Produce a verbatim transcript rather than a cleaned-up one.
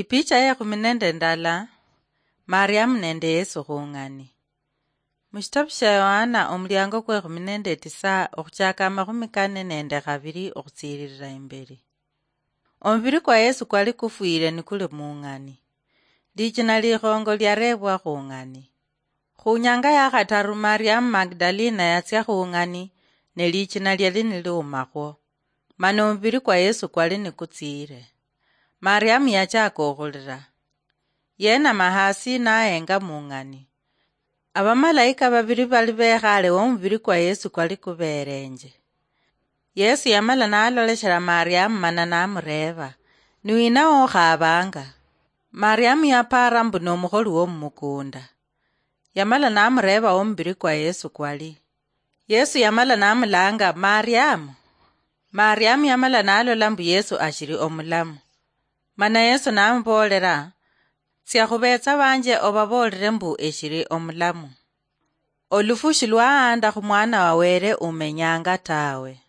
Ipicha yekhumi nende ndala. Mariamu nende Yesu khung'ani. Mushitabu shia Yohana omuliango kwekhumi nende tisa okhuchaka amakhumi kane nende khabiri okhutsiililila imbeli. Omubili kwa Yesu kwali kufwile nikuli mung'ani. Lichina likhongo liarebwa khung'ani. Khunyanga yakhataru Mariamu Magdalina yatsia khung'ani, ne lichina liali niliumakhwo. Mana omubili kwa Yesu kwali nikutsiile. Mariamu yachaka okhulila. Yenama hasi nahenga mung'ani. Abamalaika babili bali bekhaale wo omubili kwa Yesu kwali kubeerenje. Yesu yamala naloleshela Mariamu mana namureeba, "Niwina wokhaabanga?" Mariamu yapaara mbu nomukholi womumukunda. Yamala namureeba wo omubili kwa Yesu kwali. Yesu yamala namulanga, "Mariamu." Mariamu yamala nalola mbu Yesu ashili omulamu. Mana Yesu namuboolela, "Tsia khubeetsa banje obaboolele mbu eshili omulamu. Olufu shilwaanda khumwana wa Wele umenyanga tawe."